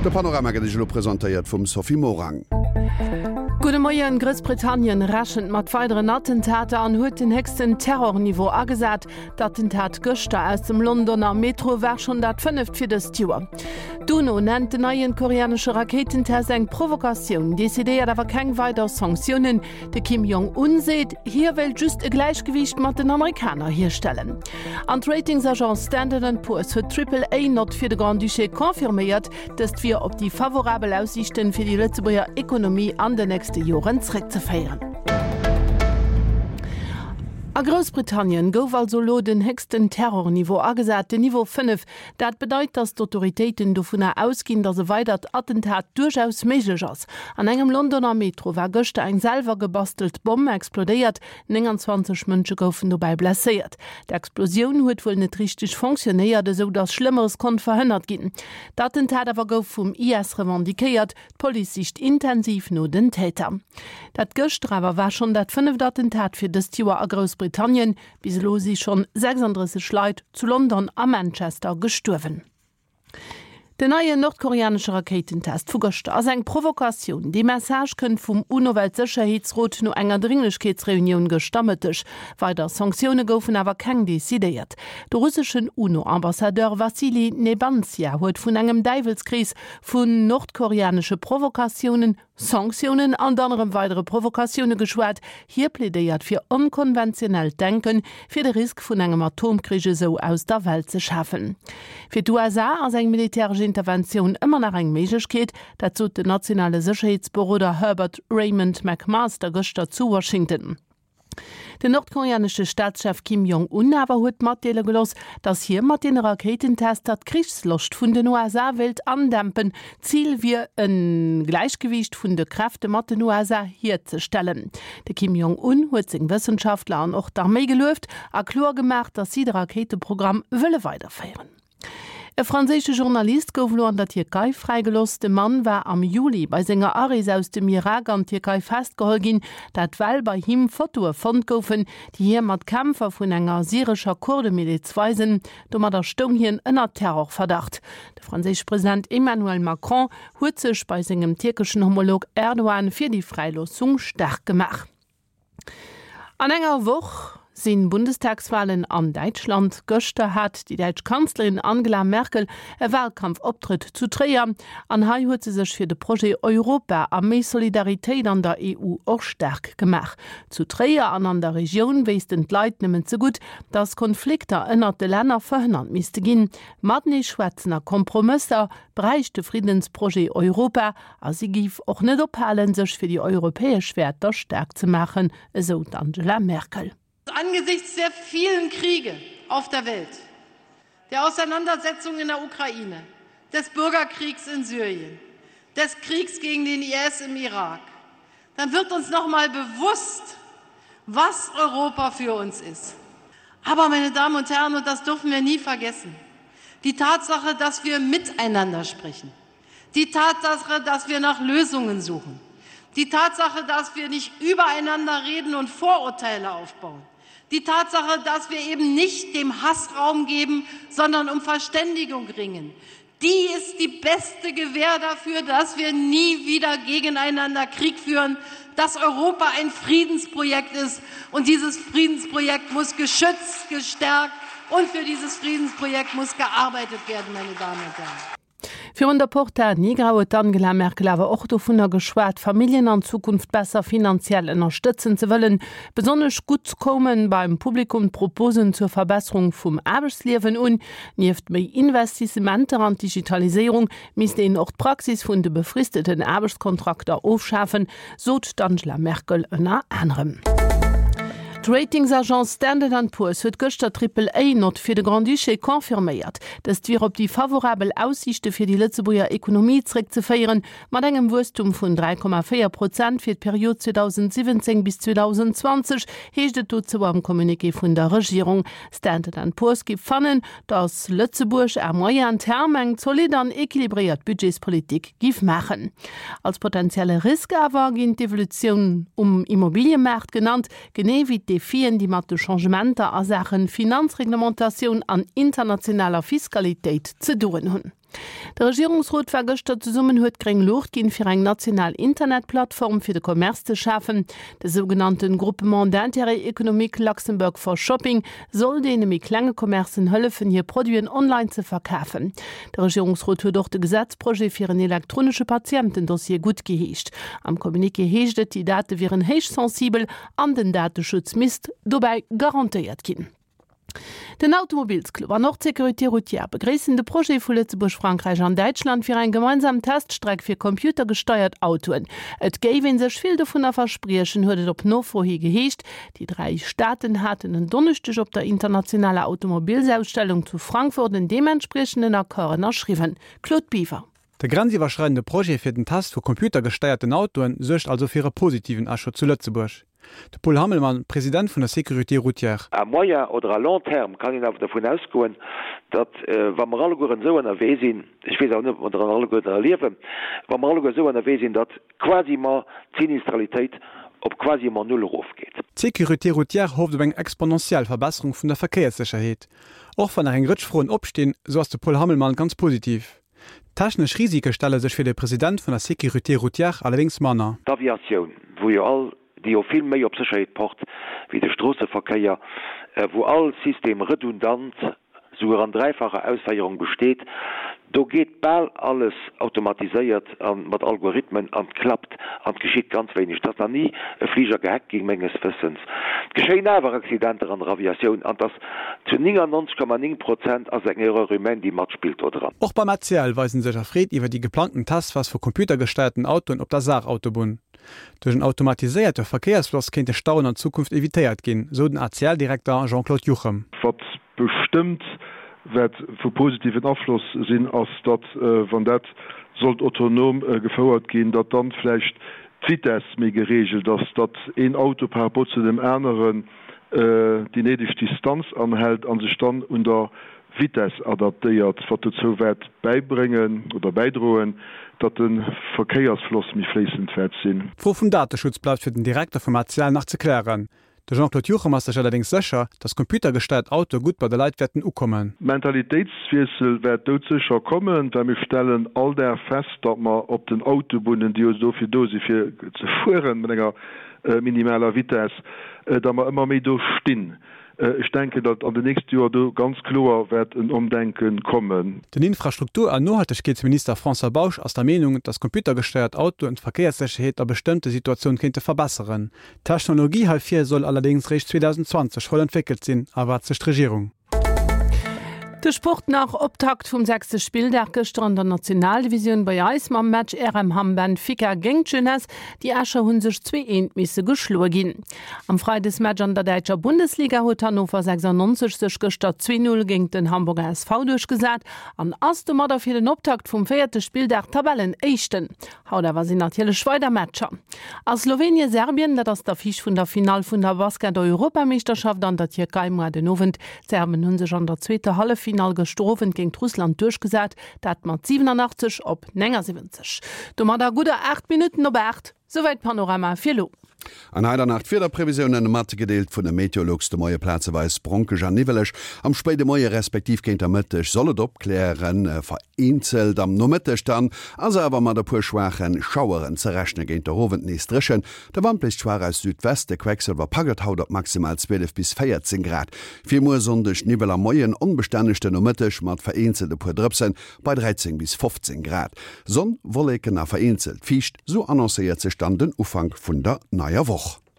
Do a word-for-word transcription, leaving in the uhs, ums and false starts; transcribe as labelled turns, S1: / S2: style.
S1: De Panorama gëtt Iech elo presentéiert vum Sophie Morang.
S2: Gudde Moien, Groussbritannien rechent mat weideren Attentater an huet den héchsten Terrorniveau agesat. D'Attentat gëschter aus dem Londoner Metro war schonn dat fënneft fir dëst Joer. D'UNO nennt den neien koreanesche Rakéitentest eng Provokatioun, decidéiert awer keng weider Sanktiounen. De Kim Jong Un seet, hie wéilt just e Gläichgewiicht mat den Amerikaner hierstellen. An d'Ratingsagence Standard and Poor's huet d'Triple-A-Nott fir de Grand-Duché confirméiert. Dëst wier op déi favorabel Aussiichten fir déi Lëtzebuerger Ekonomie an den nächste Joren zréckzeféieren. A Groussbritannien gouf also elo den héchsten Terrorniveau agesat, den Niveau fënnef. Dat bedeit, datt d'Autoritéiten dovunner ausginn, datt e weidert Attentat duerchaus méiglech ass. An engem Londoner Metro war gëschter eng selwer gebastelt Bomm explodéiert, nénganzwanzeg Mënsche goufen dobäi blesséiert. D'Explosioun huet wuel net richteg fonctionnéiert, esou datt Schlëmmeres konnt verhënnert ginn. D'Attentat awer gouf vum I S revendiquéiert. D'Police sicht intensiv no den Täter. Dat gëschter awer war schonn dat fënneft Attentat fir dëst Joer a Groussbritannien. Bis elo si schonn sechsanddrësseg Leit zu London a Manchester gestuerwen. Den neien nordkoreanesche Rakéitentest vu gëschter ass eng Provokatioun. Dee Message kënnt vum UNO-Weltsécherheetsrot no enger Dringlechkeetsreunioun gëschter Mëtteg. Weider Sanktioune goufen awer keng decidéiert. De russeschen UNO-Ambassadeur Wassili Nebenzia huet vun engem Däiwelskrees vun nordkoreanesche Provokatiounen, Sanktiounen an dann erëm weidere Provokatioune geschwat. Hie plädéiert fir onkonventionellt Denken, fir de Risk vun engem Atomkrich esou aus der Welt ze schafen. Fir d'U S A ass eng militäresch Interventioun ëmmer nach eng Méiglechkeet, dat sot den nationale Sécherheetsberoder Herbert Raymond McMaster gëschter zu Washington. Den nordkoreanesche Staatschef Kim Jong Un awer huet matdeele gelooss, datt hie mat deene Rakéitentester d'Krichsloscht vun den U S A wéilt andämpen. Zil wier e Gläichgewiicht vun de Kräfte mat den U S A hierzestellen. De Kim Jong Un huet seng Wëssenschaftler an och d'Arméi gelueft a kloer gemaach, datt si de Rakéiteprogramm wëlle weiderféieren. E franséische Journalist gouf elo an der Tierkei fräigelooss. De Mann war am Juli bei senger Arees aus dem Irak an d'Tierkei festgeholl ginn, dat well bei him Fotoe fonnt goufen, déi hie mat Kämpfer vun enger syrescher Kurdemiliz weisen. Domadder stoung hien ënner Terrorverdacht. De franséische President Emmanuel Macron huet sech bei sengem tierkeschen Homolog Erdogan fir déi Fräiloossung staark gemaach. An enger Woch si Bundestagswalen an Däitschland. Gëschter hat déi däitsch Kanzlerin Angela Merkel e Walkampfoptrëtt zu Tréier an hei huet se sech fir de Projet Europa a méi Solidaritéit an der E U och staark gemaach. Zu Tréier an an der Regioun wéissten d'Leit nëmmen ze gutt, datt Konflikter ënnert de Länner verhënnert misste ginn. Matenee schwätzen a Kompromësser bräicht de Friddensprojet Europa a si géif och net ophalen, sech fir déi europäesch Wäerter staark ze maachen, esou d'Angela Merkel.
S3: Angesichts der vielen Kriege auf der Welt, der Auseinandersetzungen in der Ukraine, des Bürgerkriegs in Syrien, des Kriegs gegen den I S im Irak, dann wird uns noch mal bewusst, was Europa für uns ist. Aber, meine Damen und Herren, und das dürfen wir nie vergessen, die Tatsache, dass wir miteinander sprechen, die Tatsache, dass wir nach Lösungen suchen, die Tatsache, dass wir nicht übereinander reden und Vorurteile aufbauen, die Tatsache, dass wir eben nicht dem Hass Raum geben, sondern um Verständigung ringen, die ist die beste Gewähr dafür, dass wir nie wieder gegeneinander Krieg führen, dass Europa ein Friedensprojekt ist. Und dieses Friedensprojekt muss geschützt, gestärkt und für dieses Friedensprojekt muss gearbeitet werden, meine Damen und Herren.
S2: Virun der Porta Nigra huet d'Angela Merkel awer och dovunner geschwat, Familljen an Zukunft besser finanziell ënnerstëtzen ze wëllen. Besonnesch gutt koume beim Publikum d'Proposen zur Verbesserung vum Aarbechtsliewen un. Nieft méi Investissementer an d'Digitaliséierung misst een och d'Praxis vun de befristeten Aarbechtskontrakter ofschafen, sot d'Angela Merkel ënner anerem. D'Ratingsagence Standard and Poor's huet gëschter d'Triple-A-Nott fir de Grand-Duché confirméiert. Dëst wier op déi favorabel Aussiichte fir déi Lëtzebuerger Ekonomie zréckzeféieren, mat engem Wuesstum vun dräi Komma véier Prozent fir d'Period zweedausendsiwwenzéng bis zweedausendzwanzeg, heescht et dozou am Communiqué vun der Regierung. Standard and Poor's géif fannen, datt Lëtzebuerg à moyen terme eng zolidd an equilibréiert Budgetspolitik géif maachen. Als potenzielle Risk awer ginn d'Evolutioun um Immobiliëmaart genannt, genee wéi d'Defien, déi mat de Changementer a Saache Finanzreglementatioun an internationaler Fiskalitéit ze doen hunn. De Regierungsrot war gëschter zesummen, huet gréng Luucht ginn, fir eng national Internetplattform fir de Commerce ze schafen. De sougenannten Groupement d'intérêt économique Luxembourg for Shopping soll deene méi klenge Commercen hëllefen, hir Produiten online ze verkafen. De Regierungsrot huet och de Gesetzprojet fir en elektronesche Patientendossier guttgeheescht. Am Communiqué heescht et, déi Date wieren héich sensibel an den Dateschutz misst dobäi garantéiert ginn. Den Automobilsclub an och d'Sécurité routière begréissen de Projet vu Lëtzebuerg, Frankräich an Däitschland fir eng gemeinsam Teststreck fir computergesteiert Autoen. Et géif ee sech vill dovunner verspriechen, huet et op Nofro hi geheescht. Déi dräi Staaten haten en Donneschdeg op der internationaler Automobilsausstellung zu Frankfurt en deementspriechenden Accord ënnerschriwwen. Claude Biver.
S4: De grenziwwerschreidende Projet fir den Test vu computergesteierten Autoen suergt also fir e positiven Echo zu Lëtzebuerg. De Paul Hammelmann, President vun der Sécurité routière.
S5: À moyen oder à long terme kann een awer dovun ausgoen, datt, wa mer allegueren esou ënnerwee sinn, ech weess awer net, ob mer dann alleguerten erliewen, wa mer alleguer esou ënnerwee sinn, datt quasiment d'Sinistralitéit op quasiment null erofgeet.
S4: D'Sécurité routière hofft op eng exponentiell Verbesserung vun der Verkéierssécherheet. Och wann nach eng Rëtsch Froen opstinn, esou ass de Paul Hammelmann ganz positiv. Technesch Risike stelle sech fir de President vun der Sécurité routière allerdéngs manner.
S5: D'Aviatioun, wou jo all, déi jo vill méi op Sécherheet pocht wéi de Stroosseverkéier, wou all System redundant, souguer an dräifacher Ausféierung besteet, do geet bal alles automatiséiert a mat Algorithmen an 't klappt an 't geschitt ganz wéineg. Et ass nach ni e Fliger gehackt ginn, menges Wëssens. Et geschéien awer Accidenter an der Aviatioun an 't ass zu néngannonzeg Komma néng Prozent ass eng Erreur humaine, déi matspillt do dran.
S4: Och beim A C L weisen sech erfreet iwwer déi geplangten Testphas vu computergesteierten Autoen op der Saarautobunn. Duerch en automatiséierte Verkéiersfloss kéinte Stauen an Zukunft evitéiert ginn, sou den A C L-Direkter Jean-Claude Juchem.
S6: Wat bestëmmt wäert vu positiven Afloss sinn, ass, datt, wann dat sollt autonom gefouert ginn, datt dann vläicht d'Vitess méi gereegelt ass, datt een Auto par rapport zu deem aneren déi néideg Distanz anhält a sech dann un der Vitess adaptéiert, wat dozou wäert bäibréngen oder bäidroen, datt de Verkéiersfloss méi fléissend wäert sinn.
S4: D'Fro vum Dateschutz bleift fir den Direkter vum A C L nach ze klären. De Jean-Claude Juchem ass sech allerdéngs sécher, datt computergesteiert Autoe gutt bei de Leit wäerten ukommen.
S6: Mentalitéitswiessel wäert doudsécher kommen, well mir stellen all Dag fest, datt mer op den Autobunnen, déi jo dofir do si fir ze fueren mat enger minimaler Vitess, datt mer ëmmer méi do stinn. Ech denken, datt an den nächste Joer do ganz kloer wäert en Ëmdenke kommen.
S4: Den Infrastruktur an Nohaltegkeetsminister François Bausch ass der Meenung, datt computergesteiert Autoen d'Verkéierssécherheet a bestëmmte Situatioune kéinte verbesseren. D'Technologie heifir soll allerdéngs réischt zweedausendzwanzeg voll entwéckelt sinn, erwaart sech d'Regierung.
S2: De Sport nach, Optakt vum sechste Spilldag gëschter an der Nationaldivisioun bei eis mam Match R M Hamm-Benfica géint d'Jeunesse. Déi Escher hu sech zwee eent misse geschloe ginn. Am Freidesmatch an der däitscher Bundesliga huet Hannover sechsundneunzeg sech gëschter zwee null géint den Hamburger S V duerchgesat an ass domadder fir den Optakt vum véierte Spilldag Tabellenéischten. Haut awer sinn natierlech weider Matcher. A Slowenien-Serbien, dat ass d'Affiche vun der Finall vun der Basket-Europameeschterschaft an der Tierkei muer den Owend. D'Serben hu sech an der zweeter Halleffinall gëschter Owend géint Russland duerchgesat, dat mat siwenanachtzeg op néngasiwwenzeg. Domadder gudder aacht Minutten op aacht. Souwäit Panorama fir elo.
S1: An hei dann nach d'Wiederprevisiounen, matgedeelt vun de Meteolux, De Moie plazeweis bronkeg an niwweleg, am spéide Moie respektiv géint der Mëtteg soll et opklären, vereenzelt am Nomëtteg dann ass awer mat e puer schwaache Schaueren ze rechnen, géint der Owend nees dréchen. De Wand bléist schwaach aus Südwest, de Quecksëlwer packt et haut op maximal zwielef bis véierzéng Grad. Fir muer Sonndeg Niwwel am Moien, onbestänneg den Nomëtteg mat vereenzelt e puer Drëpsen bei dräizéng bis fofzéng Grad. Sonn, Wolleken a vereenzelt fiicht, sou annoncéiert sech dann den Ufank vun der neier Woch.